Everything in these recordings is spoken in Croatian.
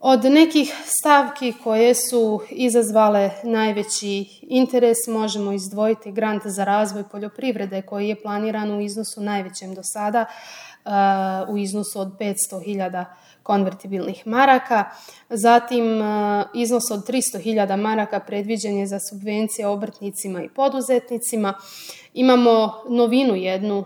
Od nekih stavki koje su izazvale najveći interes možemo izdvojiti grant za razvoj poljoprivrede koji je planiran u iznosu najvećem do sada, u iznosu od 500.000 konvertibilnih maraka. Zatim iznos od 300.000 maraka predviđen je za subvencije obrtnicima i poduzetnicima. Imamo novinu jednu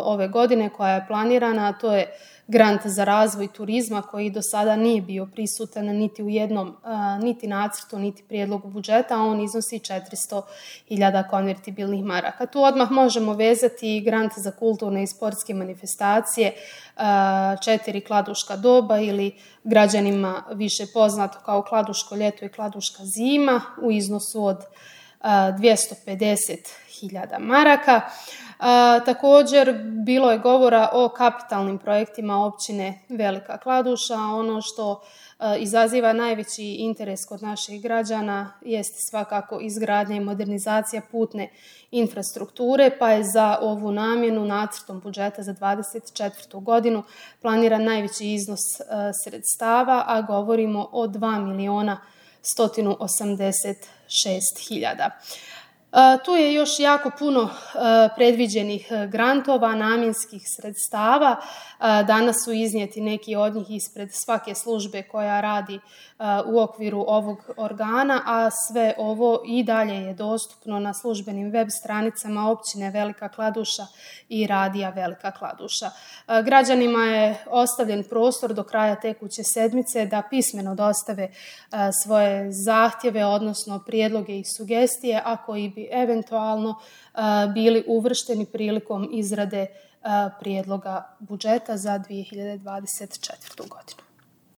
ove godine koja je planirana, a to je grant za razvoj turizma koji do sada nije bio prisutan niti u jednom, niti nacrtu, niti prijedlogu budžeta, a on iznosi 400.000 konvertibilnih maraka. Tu odmah možemo vezati i grant za kulturne i sportske manifestacije, 4 kladuška doba ili građanima više poznato kao kladuško ljeto i kladuška zima u iznosu od 250.000 maraka. Također bilo je govora o kapitalnim projektima općine Velika Kladuša. Ono što izaziva najveći interes kod naših građana jest svakako izgradnja i modernizacija putne infrastrukture, pa je za ovu namjenu nacrtom budžeta za 2024. godinu planiran najveći iznos sredstava, a govorimo o 2.186.000. Tu je još jako puno predviđenih grantova, namjenskih sredstava. Danas su iznijeti neki od njih ispred svake službe koja radi u okviru ovog organa, a sve ovo i dalje je dostupno na službenim web stranicama općine Velika Kladuša i radija Velika Kladuša. Građanima je ostavljen prostor do kraja tekuće sedmice da pismeno dostave svoje zahtjeve, odnosno prijedloge i sugestije, a koji bi eventualno bili uvršteni prilikom izrade prijedloga budžeta za 2024. godinu.